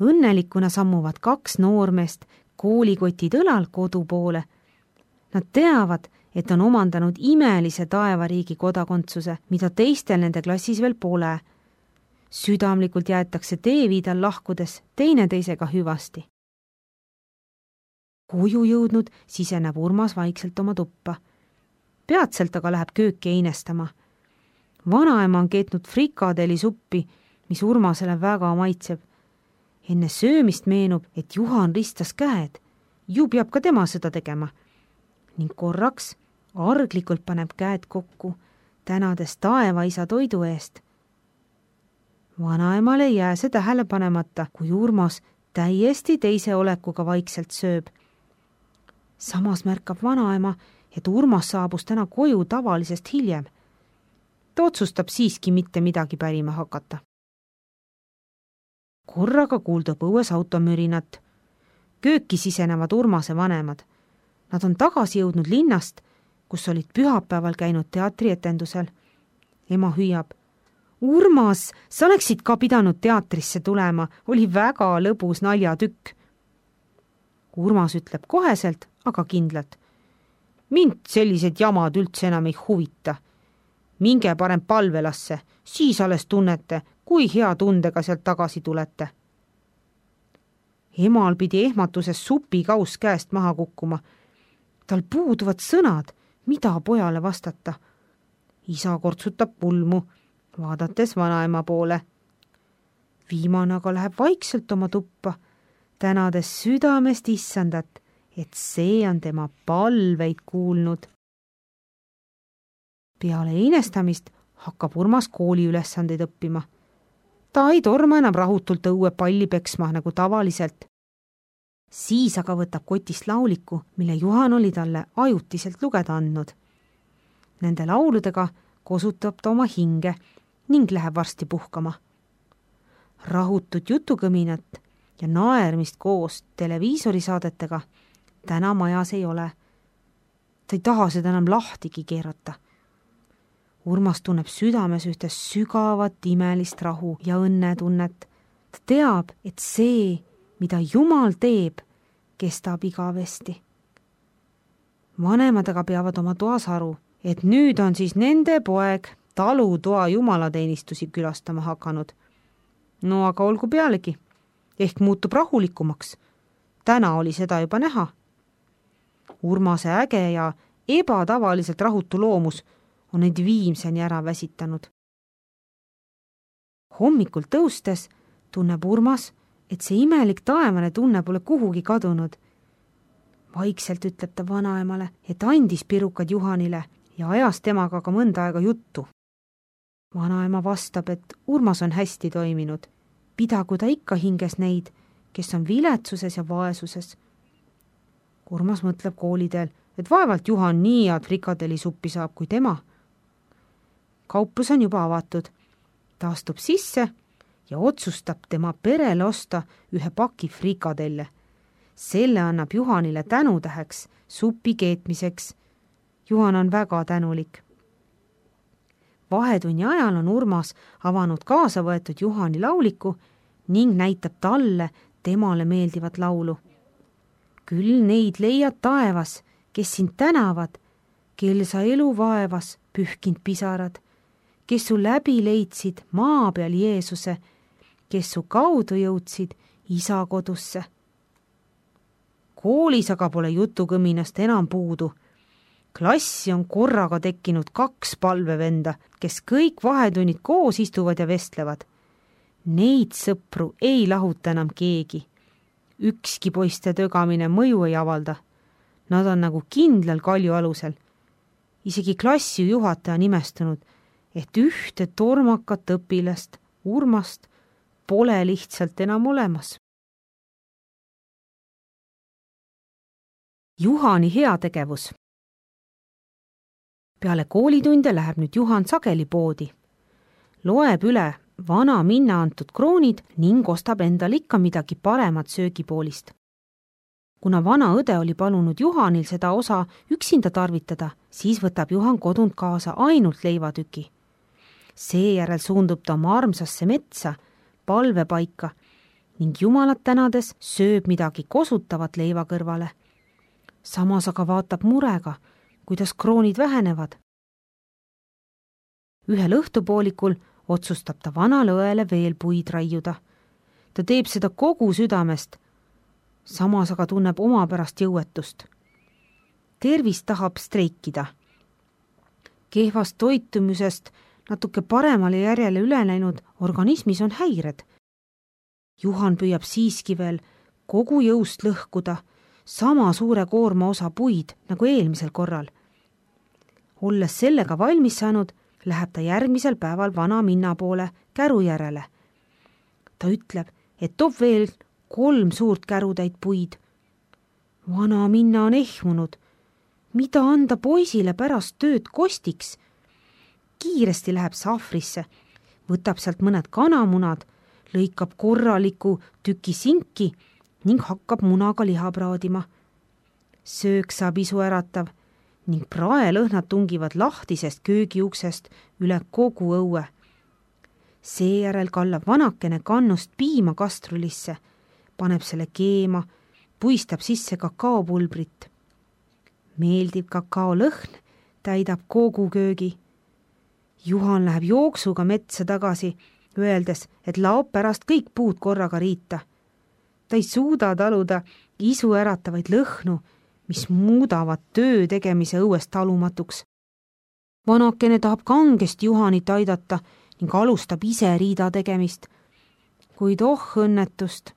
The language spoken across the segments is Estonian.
Õnnelikuna sammuvad 2 noormeest koolikotid õlal kodu poole. Nad teavad, et on omandanud imelise taevariigi kodakondsuse, mida teistel nende klassis veel pole. Südamlikult jäetakse teeviidal lahkudes teineteisega hüvasti. Koju jõudnud siseneb Urmas vaikselt oma tuppa. Peatselt aga läheb kööki einestama. Vanaema on keetnud frikadelisuppi, mis Urmasele väga maitseb. Enne söömist meenub, et Juhan ristas käed. Ju peab ka tema seda tegema. Ning korraks arglikult paneb käed kokku, tänades taevaisa toidu eest. Vanaemale ei jää see tähele panemata, kui Urmas täiesti teise olekuga vaikselt sööb. Samas märkab vanaema, et Urmas saabus täna koju tavalisest hiljem. Ta otsustab siiski mitte midagi pärima hakata. Korraga kuuldub õues automürinat. Kööki sisenevad Urmase vanemad. Nad on tagasi jõudnud linnast, kus olid pühapäeval käinud teatrietendusel. Ema hüüab: Urmas, sa oleksid ka pidanud teatrisse tulema, oli väga lõbus naljatükk. Urmas ütleb koheselt, aga kindlalt: mind sellised jamad üldse enam ei huvita. Minge parem palvelasse, siis alles tunnete, kui hea tundega sealt tagasi tulete. Emal pidi ehmatuses supikaus käest maha kukkuma. Tal puuduvad sõnad, mida pojale vastata. Isa kortsutab pulmu, vaadates vanaema poole. Viimane aga läheb vaikselt oma tuppa, tänades südamest issandat, et see on tema palveid kuulnud. Peale einestamist hakkab Urmas kooli ülesandeid õppima. Ta ei torma enam rahutult õue palli peksma nagu tavaliselt. Siis aga võtab kotist lauliku, mille Juhan oli talle ajutiselt lugeda andnud. Nende lauludega kosutab ta oma hinge ning läheb varsti puhkama. Rahutut jutukõminat ja naermist koos televiisorisaadetega täna majas ei ole. Ta ei taha seda enam lahtigi keerata. Urmas tunneb südames ühte sügavat imelist rahu ja õnnetunnet. Ta teab, et see, mida Jumal teeb, kestab igavesti. Vanemad aga peavad oma toas aru, et nüüd on siis nende poeg talutoa jumalateenistusi külastama hakanud. No aga olgu pealegi, ehk muutub rahulikumaks. Täna oli seda juba näha. Urmase äge ja ebatavaliselt rahutu loomus on neid viimseni ära väsitanud. Hommikul tõustes tunneb Urmas, et see imelik taevane tunne pole kuhugi kadunud. Vaikselt ütleb ta vanaemale, et andis pirukad Juhanile ja ajas temaga ka mõnda aega juttu. Vanaema vastab, et Urmas on hästi toiminud. Pidagu ta ikka hinges neid, kes on viletsuses ja vaesuses. Urmas mõtleb koolidel, et vaevalt Juhan nii head frikadelisuppi saab kui tema. Kauplus on juba avatud. Ta astub sisse ja otsustab tema perele osta ühe paki frikadelle. Selle annab Juhanile tänutäheks supi keetmiseks. Juhan on väga tänulik. Vahetunni ajal on Urmas avanud kaasa võetud Juhani lauliku ning näitab talle temale meeldivat laulu. Küll neid leiad taevas, kes sind tänavad, kel sa elu vaevas pühkind pisarad, kes su läbi leidsid maa peal Jeesuse, kes su kaudu jõudsid isa kodusse. Koolis aga pole jutukõminast enam puudu. Klassi on korraga tekkinud 2 palvevenda, kes kõik vahetunnid koos istuvad ja vestlevad. Neid sõpru ei lahuta enam keegi. Ükski poiste tögamine mõju ei avalda. Nad on nagu kindlal kalju alusel. Isegi klassi juhataja on imestunud, et ühte tormakat õpilast, Urmast, pole lihtsalt enam olemas. Juhani heategevus. Peale koolitunde läheb nüüd Juhan sageli poodi. Loeb üle vana minna antud kroonid ning ostab endal ikka midagi paremat söögipoolist. Kuna vana õde oli palunud Juhanil seda osa üksinda tarvitada, siis võtab Juhan kodunt kaasa ainult leivatüki. Seejärel suundub ta oma armsasse metsa, palvepaika ning Jumalat tänades sööb midagi kosutavat leiva kõrvale. Samas aga vaatab murega, kuidas kroonid vähenevad. Ühel õhtupoolikul otsustab ta vanale õele veel puid raiuda. Ta teeb seda kogu südamest, samas aga tunneb oma pärast jõuetust. Tervis tahab streikida. Kehvast toitumisest natuke paremale järjele üle läinud organismis on häired. Juhan püüab siiski veel kogu jõust lõhkuda sama suure koorma osa puid nagu eelmisel korral. Olles sellega valmis saanud, läheb ta järgmisel päeval vana minna poole käru järele. Ta ütleb, et toob veel 3 suurt kärutäit puid. Vana minna on ehmunud. Mida anda poisile pärast tööd kostiks? Kiiresti läheb sahvrisse, võtab sealt mõned kanamunad, lõikab korraliku tüki sinki ning hakkab munaga liha praadima. Söök saab isu äratav ning praelõhnad tungivad lahtisest köögiuksest üle kogu õue. Seejärel kallab vanakene kannust piima kastrulisse, paneb selle keema, puistab sisse kakaopulbrit. Meeldiv kakaolõhn täidab kogu köögi. Juhan läheb jooksuga metsa tagasi, öeldes, et laob pärast kõik puud korraga riita. Ta ei suuda taluda isu äratavaid lõhnu, mis muudavad töö tegemise õuest talumatuks. Vanakene tahab kangesti Juhanit aidata ning alustab ise riida tegemist. Kuid õnnetust,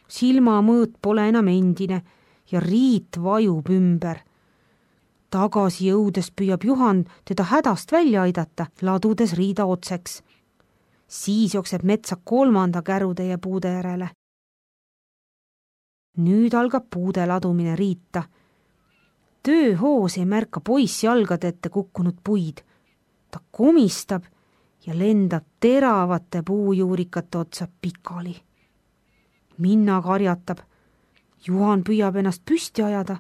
silmamõõt pole enam endine ja riit vajub ümber. Tagasi jõudes püüab Juhan teda hädast välja aidata, ladudes riida otseks. Siis jookseb metsa 3. kärutäie puude järele. Nüüd algab puude ladumine riita. Tööhoos ei märka poiss jalgade ette kukkunud puid. Ta komistab ja lendab teravate puujuurikate otsa pikali. Minna karjatab. Juhan püüab ennast püsti ajada.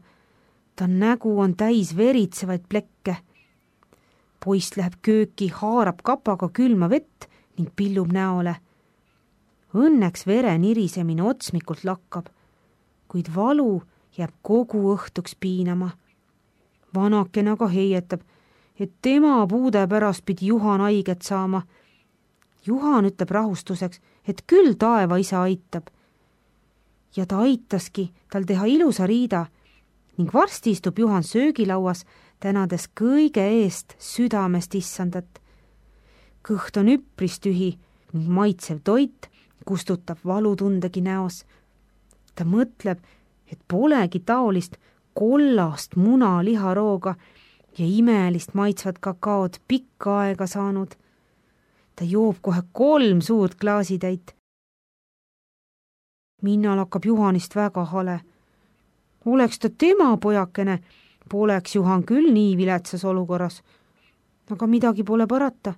Ta nägu on täis veritsevaid plekke. Poiss läheb kööki, haarab kapaga külma vett ning pillub näole. Õnneks vere nirisemine otsmikult lakkab, kuid valu jääb kogu õhtuks piinama. Vanakene aga heietab, et tema puude pärast pidi Juhan haiget saama. Juhan ütleb rahustuseks, et küll taeva isa aitab. Ja ta aitaski tal teha ilusa riida ning varsti istub Juhan söögilauas, tänades kõige eest südamest issandat. Kõht on üpris tühi ning maitsev toit kustutab valutundegi näos. Ta mõtleb, et polegi taolist kollast muna liharooga ja imelist maitsvat kakaod pikka aega saanud. Ta joob kohe 3 suurt klaasitäit. Minnal hakkab Juhanist väga hale. Oleks ta tema pojakene, poleks Juhan küll nii viletsas olukorras. Aga midagi pole parata.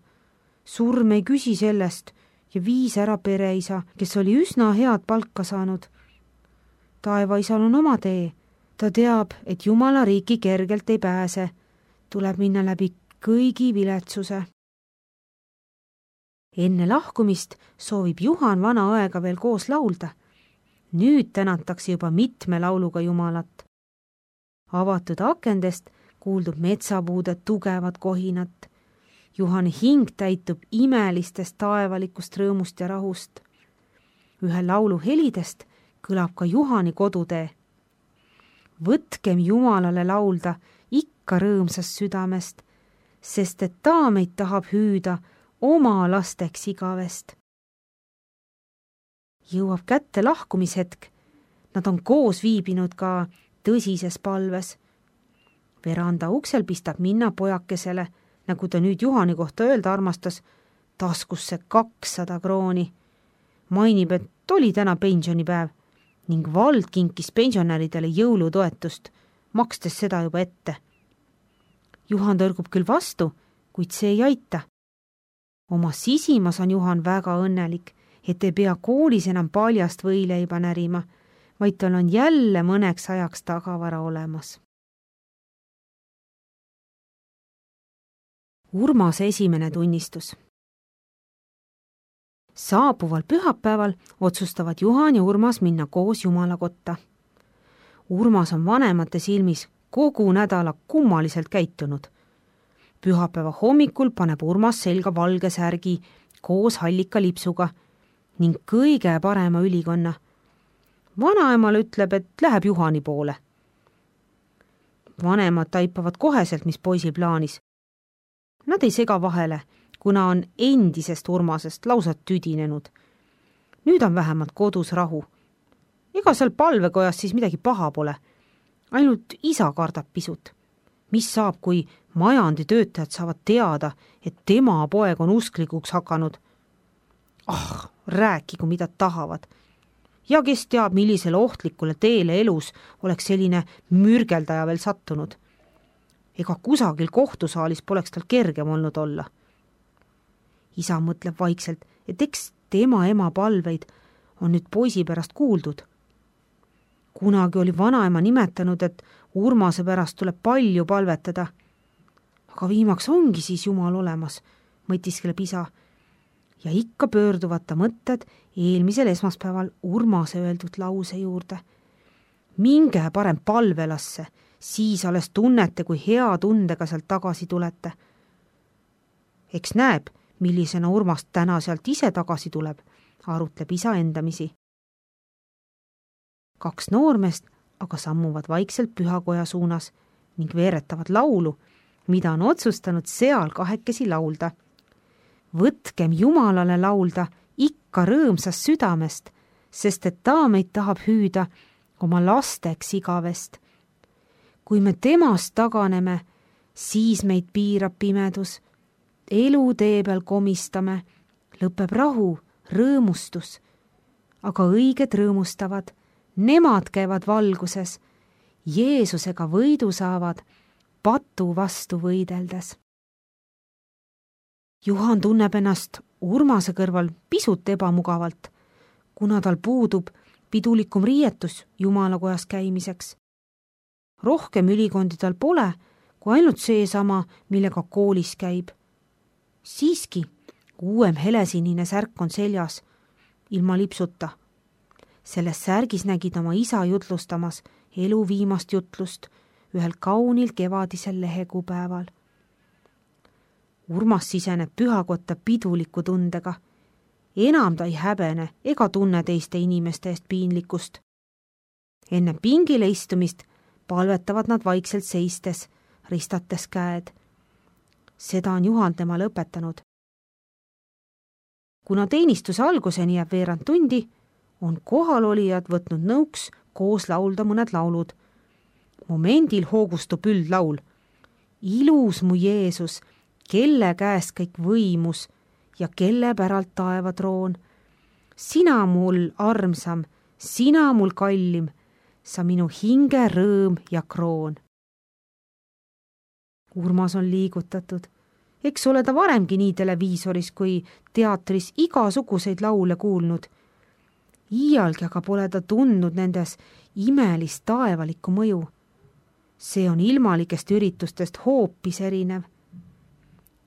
Surm ei küsi sellest ja viis ära pereisa, kes oli üsna head palka saanud. Taevaisal on oma tee. Ta teab, et Jumala riiki kergelt ei pääse. Tuleb minna läbi kõigi viletsuse. Enne lahkumist soovib Juhan vana õega veel koos laulda. Nüüd tänatakse juba mitme lauluga Jumalat. Avatud akendest kuuldub metsapuude tugevat kohinat. Juhani hing täitub imelistest taevalikust rõõmust ja rahust. Ühe laulu helidest kõlab ka Juhani kodutee. Võtkem Jumalale laulda ikka rõõmsast südamest, sest et ta meid tahab hüüda oma lasteks igavest. Jõuab kätte lahkumishetk. Nad on koos viibinud ka tõsises palves. Veranda uksel pistab Minna pojakesele, nagu ta nüüd Juhani kohta öelda armastas, taskusse 200 krooni. Mainib, et oli täna pensionipäev ning vald kinkis pensionäridele jõulutoetust, makstes seda juba ette. Juhan tõrgub küll vastu, kuid see ei aita. Oma sisimas on Juhan väga õnnelik, et ei pea koolis enam paljast võileiba närima, vaid tal on jälle mõneks ajaks tagavara olemas. Urmase esimene tunnistus. Saabuval pühapäeval otsustavad Juhan ja Urmas minna koos Jumala kotta. Urmas on vanemate silmis kogu nädala kummaliselt käitunud. Pühapäeva hommikul paneb Urmas selga valge särgi koos hallika lipsuga ning kõige parema ülikonna. Vanaemale ütleb, et läheb Juhani poole. Vanemad taipavad koheselt, mis poisil plaanis. Nad ei sega vahele, kuna on endisest Urmasest lausa tüdinenud. Nüüd on vähemalt kodus rahu. Ega seal palvekojas siis midagi paha pole. Ainult isa kardab pisut. Mis saab, kui majanditöötajad saavad teada, et tema poeg on usklikuks hakanud? Rääkigu mida tahavad. Ja kes teab, millisele ohtlikule teele elus oleks selline mürgeldaja veel sattunud. Ega kusagil kohtusaalis poleks tal kergem olnud olla. Isa mõtleb vaikselt, et eks tema ema palveid on nüüd poisi pärast kuuldud. Kunagi oli vanaema nimetanud, et Urmase pärast tuleb palju palvetada. Aga viimaks ongi siis Jumal olemas, mõtiskleb isa. Ja ikka pöörduvad ta mõtted eelmisel esmaspäeval Urmase öeldud lause juurde. Minge parem palvelasse, siis alles tunnete, kui hea tundega sealt tagasi tulete. Eks näeb, millisena Urmas täna sealt ise tagasi tuleb, arutleb isa endamisi. 2 noormeest aga sammuvad vaikselt pühakoja suunas ning veeretavad laulu, mida on otsustanud seal kahekesi laulda. Võtkem Jumalale laulda ikka rõõmsast südamest, sest et ta meid tahab hüüda oma lasteks igavest. Kui me temast taganeme, siis meid piirab pimedus. Elu tee peal komistame, lõpeb rahu, rõõmustus. Aga õiged rõõmustavad, nemad käivad valguses, Jeesusega võidu saavad, patu vastu võideldes. Juhan tunneb ennast Urmase kõrval pisut ebamugavalt, kuna tal puudub pidulikum riietus Jumalakojas käimiseks. Rohkem ülikondi tal pole, kui ainult seesama, millega koolis käib. Siiski, uuem helesinine särk on seljas, ilma lipsuta. Selles särgis nägid oma isa jutlustamas elu viimast jutlust ühel kaunil kevadisel lehekuupäeval. Urmas siseneb pühakotta piduliku tundega. Enam ta ei häbene ega tunne teiste inimeste eest piinlikkust. Enne pingile istumist palvetavad nad vaikselt seistes, ristates käed. Seda on Juhan temale õpetanud. Kuna teenistuse alguseni jääb veerand tundi, on kohalolijad võtnud nõuks koos laulda mõned laulud. Momendil hoogustub üldlaul. Ilus mu Jeesus, kelle käest kõik võimus ja kelle päralt taeva troon. Sina mul armsam, sina mul kallim, sa minu hinge rõõm ja kroon. Urmas on liigutatud. Eks ole ta varemgi nii televiisoris kui teatris igasuguseid laule kuulnud. Iialgi aga pole ta tundnud nendes imelist taevalikku mõju. See on ilmalikest üritustest hoopis erinev.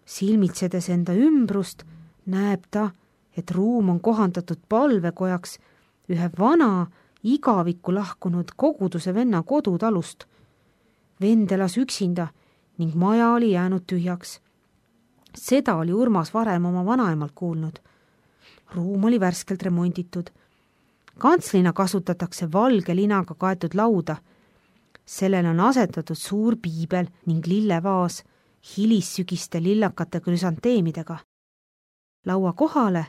Silmitsedes enda ümbrust näeb ta, et ruum on kohandatud palvekojaks ühe vana, igavikku lahkunud koguduse venna kodutalust. Vend elas üksinda ning maja oli jäänud tühjaks. Seda oli Urmas varem oma vanaemalt kuulnud. Ruum oli värskelt remonditud. Kantslina kasutatakse valge linaga kaetud lauda. Sellele on asetatud suur piibel ning lillevaas hilissügiste lillakate krüsanteemidega. Laua kohale,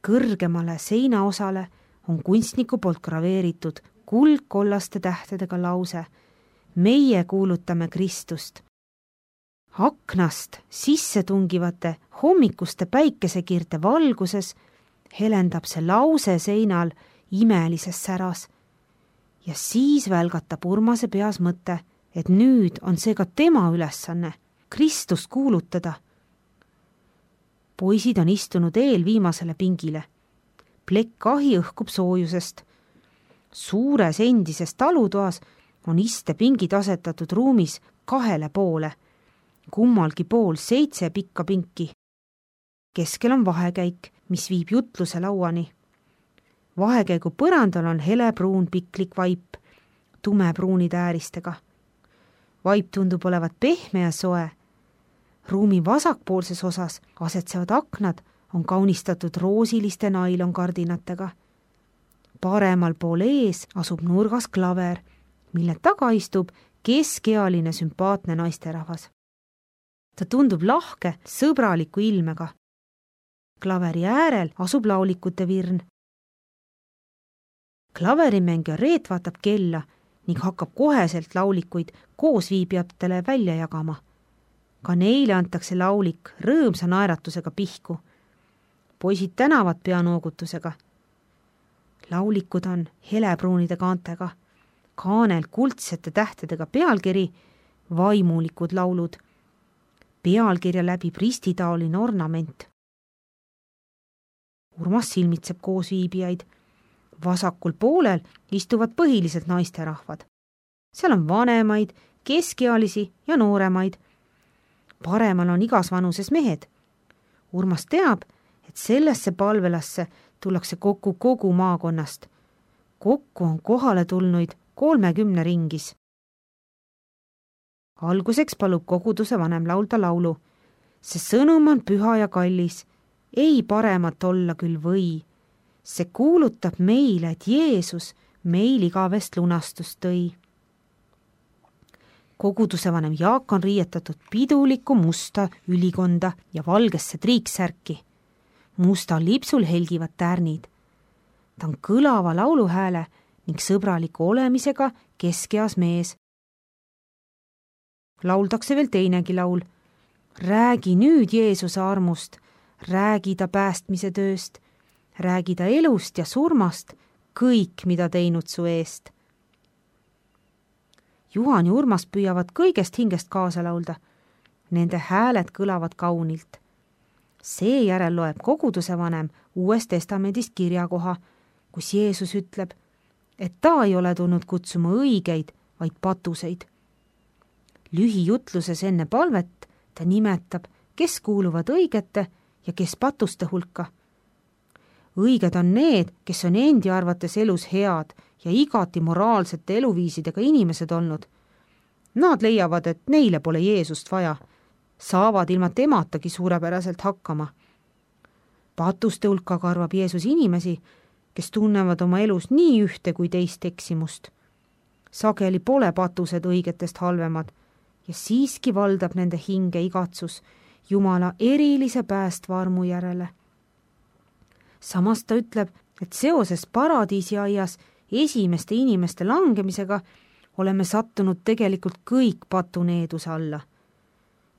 kõrgemale seinaosale on kunstniku poolt graveeritud kuldkollaste tähtedega lause: meie kuulutame Kristust. Aknast sisse tungivate hommikuste päikesekiirte valguses helendab see lause seinal imelises säras. Ja siis välgatab Urmase peas mõte, et nüüd on see ka tema ülesanne, Kristust kuulutada. Poisid on istunud eelviimasele pingile. Plekk ahi õhkub soojusest. Suures endises talutoas on istepingid asetatud ruumis 2 poole. Kummalgi pool 7 pikka pinki. Keskel on vahekäik, mis viib jutluse lauani. Vahekäigu põrandal on helepruun piklik vaip tumepruunide ääristega. Vaip tundub olevat pehme ja soe. Ruumi vasakpoolses osas asetsevad aknad on kaunistatud roosiliste nailonkardinatega. Paremal pool ees asub nurgas klaver, mille taga istub keskealine sümpaatne naisterahvas. Ta tundub lahke, sõbraliku ilmega. Klaveri äärel asub laulikute virn. Klaverimängija Reet vaatab kella ning hakkab koheselt laulikuid koosviibijatele välja jagama. Ka neile antakse laulik rõõmsa naeratusega pihku. Poisid tänavad peanoogutusega. Laulikud on helepruunide kaantega, kaanel kuldsete tähtedega pealkiri Vaimulikud laulud. Pealkirja läbib ristitaoline ornament. Urmas silmitseb koosviibijaid. Vasakul poolel istuvad põhiliselt naisterahvad. Seal on vanemaid, keskealisi ja nooremaid. Paremal on igas vanuses mehed. Urmas teab, et sellesse palvelasse tullakse kokku kogu maakonnast. Kokku on kohale tulnuid 30 ringis. Alguseks palub koguduse vanem laulda laulu. See sõnum on püha ja kallis, ei paremat olla küll või. See kuulutab meile, et Jeesus meil igavest lunastust tõi. Koguduse vanem Jaak on riietatud pidulikku musta ülikonda ja valgesse triiksärki. Mustal lipsul helgivad tärnid. Ta on kõlava lauluhääle ning sõbraliku olemisega keskeas mees. Lauldakse veel teinegi laul. Räägi nüüd Jeesuse armust, räägi ta päästmise tööst, räägi ta elust ja surmast, kõik, mida teinud su eest. Juhan ja Urmas püüavad kõigest hingest kaasa laulda. Nende hääled kõlavad kaunilt. Seejärel loeb koguduse vanem Uuest Testamendist kirjakoha, kus Jeesus ütleb, et ta ei ole tulnud kutsuma õigeid, vaid patuseid. Lühijutluses enne palvet ta nimetab, kes kuuluvad õigete ja kes patuste hulka. Õiged on need, kes on endi arvates elus head ja igati moraalsete eluviisidega inimesed olnud. Nad leiavad, et neile pole Jeesust vaja, saavad ilma tematagi suurepäraselt hakkama. Patuste hulka arvab Jeesus inimesi, kes tunnevad oma elus nii ühte kui teist eksimust. Sageli pole patused õigetest halvemad ja siiski valdab nende hinge igatsus Jumala erilise päästva armu järele. Samas ta ütleb, et seoses paradiisiaias esimeste inimeste langemisega oleme sattunud tegelikult kõik patuneeduse alla.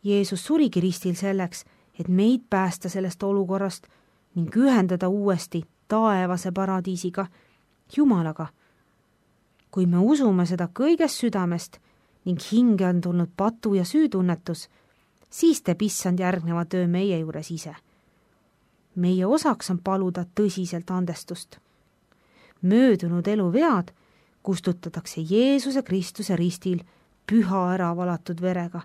Jeesus surigi ristil selleks, et meid päästa sellest olukorrast ning ühendada uuesti taevase paradiisiga, Jumalaga. Kui me usume seda kõigest südamest ning hinge on tulnud patu ja süütunnetus, siis teeb Issand järgneva töö meie juures ise. Meie osaks on paluda tõsiselt andestust. Möödunud elu vead kustutatakse Jeesuse Kristuse ristil püha ära valatud verega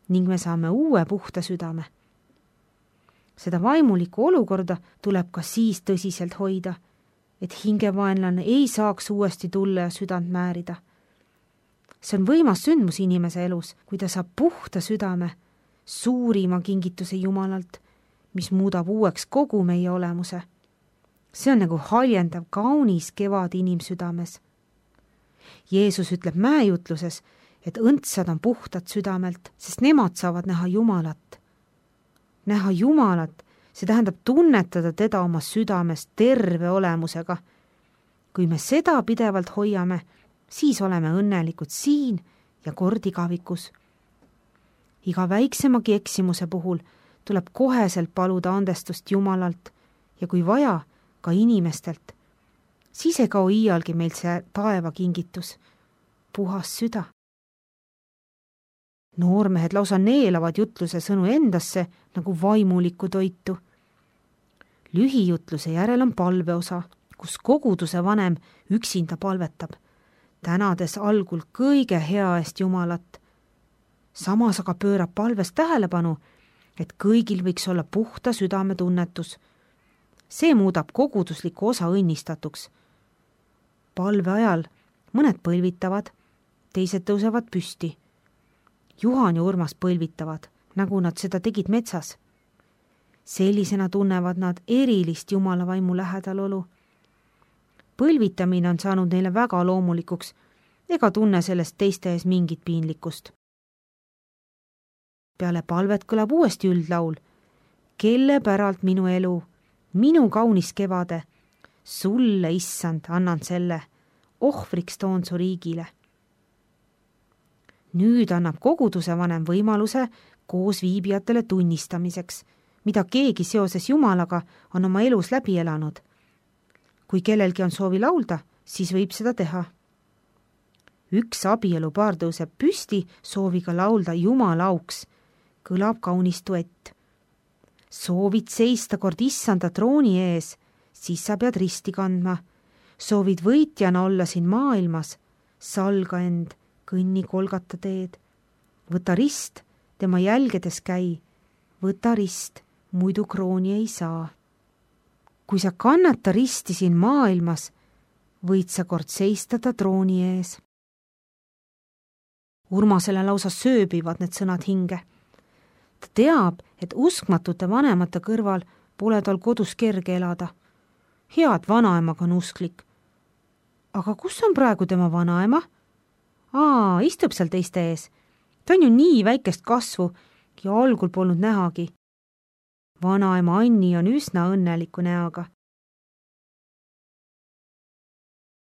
ning me saame uue puhta südame. Seda vaimulikku olukorda tuleb ka siis tõsiselt hoida, et hingevaenlane ei saaks uuesti tulla ja südant määrida. See on võimas sündmus inimese elus, kui ta saab puhta südame, suurima kingituse Jumalalt, mis muudab uueks kogu meie olemuse. See on nagu haljendav kaunis kevad inimsüdames. Jeesus ütleb mäejutluses, et õndsad on puhtad südamelt, sest nemad saavad näha Jumalat. Näha Jumalat, see tähendab tunnetada teda oma südames terve olemusega. Kui me seda pidevalt hoiame, siis oleme õnnelikud siin ja kord igavikus. Iga väiksemagi eksimuse puhul tuleb koheselt paluda andestust Jumalalt ja kui vaja, ka inimestelt. Siis ei kao iialgi meil see taeva kingitus, puhas süda. Noormehed lausa neelavad jutluse sõnu endasse nagu vaimulikku toitu. Lühijutluse järel on palveosa, kus koguduse vanem üksinda palvetab, tänades algul kõige hea eest Jumalat. Samas aga pöörab palves tähelepanu, et kõigil võiks olla puhta südametunnetus. see muudab kogudusliku osa õnnistatuks. Palve ajal mõned põlvitavad, teised tõusevad püsti. Juhan ja Urmas põlvitavad, nagu nad seda tegid metsas. Sellisena tunnevad nad erilist Jumala vaimu lähedalolu. Põlvitamine on saanud neile väga loomulikuks ega tunne sellest teiste ees mingit piinlikkust. Peale palvet kõlab uuesti üldlaul. Kelle päralt minu elu, minu kaunis kevade, sulle, issand, annan selle, ohvriks toon su riigile. Nüüd annab koguduse vanem võimaluse koos viibijatele tunnistamiseks, mida keegi seoses Jumalaga on oma elus läbi elanud. Kui kellelgi on soovi laulda, siis võib seda teha. Üks abielupaar tõuseb püsti sooviga laulda Jumala auks, kõlab kaunis duett. Soovid seista kord issanda trooni ees, siis sa pead risti kandma. Soovid võitjana olla siin maailmas, salga end, kõnni Golgata teed. Võta rist, tema jälgedes käi. Võta rist, muidu krooni ei saa. Kui sa kannata risti siin maailmas, võid sa kord seista ta trooni ees. Urmasele lausa sööbivad need sõnad hinge. Ta teab, et uskmatute vanemate kõrval pole tal kodus kerge elada. Head vanaemaga on usklik. Aga kus on praegu tema vanaema? Istub seal teiste ees. Ta on ju nii väikest kasvu ja algul polnud nähagi. Vanaema Anni on üsna õnneliku näoga.